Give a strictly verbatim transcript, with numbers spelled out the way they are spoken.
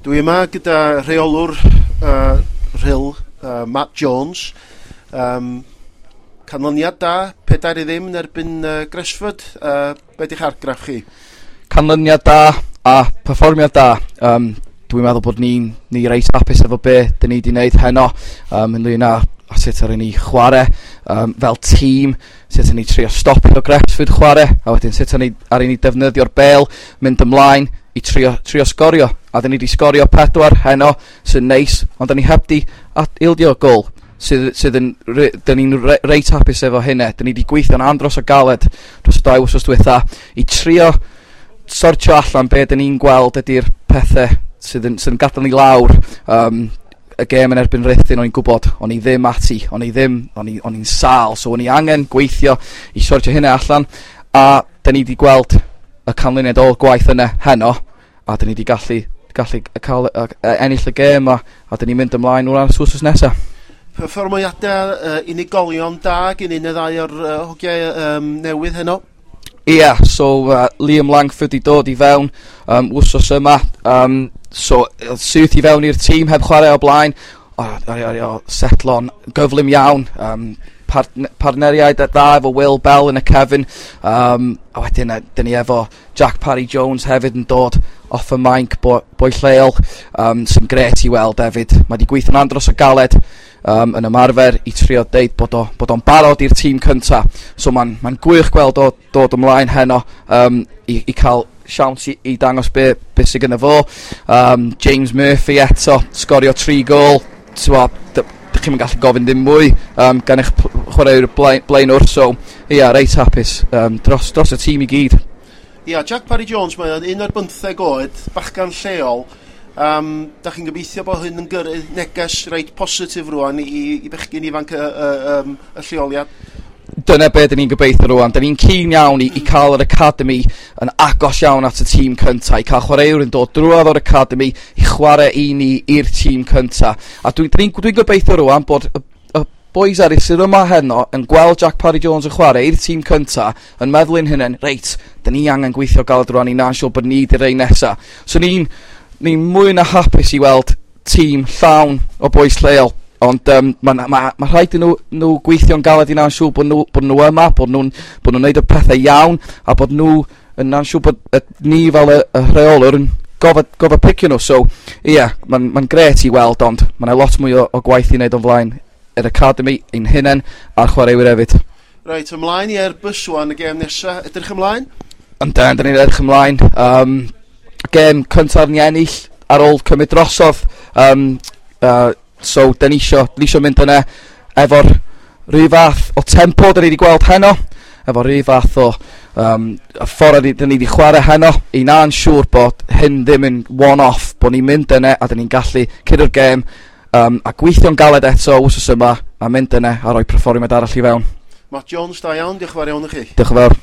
Dwi yma gyda rheolwr uh, Rhyl, uh, Matt Jones. Um, canlyniad da, pedair i ddim yn erbyn uh, Gresford. Uh, be di'ch argraff chi? Canlyniad da a perfformiad da. Um, dwi'n meddwl bod ni'n ni reit hapus efo be dyn ni wedi wneud heno um, ynglyn â a sut ar ni chwarae um, fel tîm, sut ni trio stopio Gresford chwarae, a wedyn sut ar ni, ar ni defnyddio'r bêl, mynd ymlaen i trio, trio sgorio. A dyn ni wedi sgorio pedwar heno, sy'n neis, ond dyn ni heb di ildio gol, sydd, sydd yn, dyn ni'n re, reit hapus efo hynna. Dyn ni wedi gweithio'n andros o galed dros y dau wsos diwetha i trio sortio allan be dyn ni'n gweld ydy'r pethau sydd yn, sydd yn gadael ni lawr. Um, y gêm yn erbyn Rhuthun, o'n i'n gwybod, o'n i ddim ati, o'n i ddim, o'n i, o'n i'n sâl, so o'n i angen gweithio i sortio hynna allan, a dyn ni wedi gweld y canlyniad o'r gwaith yna heno, a dyn ni wedi gallu, gallu cael, uh, ennill y gêm, a, a dyn ni'n mynd ymlaen o'r wsos nesaf. Perfformiadau uh, unigolion da gen un neu ddau o'r uh, hogiau um, newydd heno? Ie, yeah, so uh, Liam Langford i dod i fewn um, wsos yma. Um, so, syth i fewn i'r tîm heb chwarae o blaen. O, o, o, o, setlo'n gyflym iawn. Um, part partneriaid dda efo Will Bell yn y cefn. Um, a wedyn, dyn ni efo Jack Parry Jones hefyd yn dod off y mainc, bo, boi lleol, um, sy'n gret i weld hefyd. Mae wedi gweithio'n andros o galed um, yn ymarfer i trio deud bod, o, bod o'n barod i'r tîm cynta. So mae'n ma gwych gweld o dod ymlaen heno um, i, i cael siawns i, i dangos be, be sydd gyda fo. Um, James Murphy eto, sgorio tri gol. So, dych chi'n gallu gofyn ddim mwy um, gan eich chwaraewyr blaen, blaenwr. So, ia, yeah, reit hapus um, dros, dros y tîm i gyd. Ia, yeah, Jack Parry Jones, mae o'n un ar bymtheg oed, bachgan lleol. Um, da chi'n gobeithio bod hyn yn gyrru neges reit positif rwan i, i bechgyn ifanc y, y, y, y lleoliad? Dyna be dyn ni'n gobeithio rwan. Dyn ni'n keen iawn i, i cael yr academy yn agos iawn at y tîm cynta, i cael chwaraewyr yn dod drwodd o'r academy i chwarae i ni i'r tîm cynta. A dwi'n dwi, dwi gobeithio rwan bod y, y boys eraill sydd yma heno yn gweld Jack Parry Jones yn chwarae i'r tîm cynta, yn meddwl yn hynny, reit, dyn ni angen gweithio galed rwan i na'n siŵr bod ni di'r rei nesa. So ni'n ni mwy na hapus i weld tîm llawn o boys lleol. Ond um, mae ma, ma rhaid i nhw, nhw gweithio'n galed i na'n siŵr bod nhw, bod nhw yma, bod nhw'n bod nhw'n neud y pethau iawn, a bod nhw yn na'n siŵr bod y, ni fel y, y rheolwr yn gofod, gofod picio nhw. So, ie, yeah, mae'n ma gret i weld, ond mae'n lot mwy o, o gwaith i wneud o'n flaen yr academy, ein hunain, a'r chwaraewyr hefyd. Reit, ymlaen i Airbus wan y gêm nesaf. Edrych ymlaen? Yndan, dyn ni'n edrych ymlaen. Um, gêm cyntaf ni ennill ar ôl cymryd drosodd. Um, uh, So, dyn ni isio, dyn ni isio mynd yna efo'r rhyw fath o tempo dyn ni wedi gweld heno, efo rhyw fath o um, y ffordd dyn ni wedi chwarae heno, i na'n siŵr bod hyn ddim yn one-off, bod ni'n mynd yna a dyn ni'n gallu curo'r gêm um, a gweithio'n galed eto wsos yma a mynd yna a rhoi perfformiad arall i fewn. Matt Jones, da iawn, diolch yn fawr iawn i chi. Diolch yn fawr.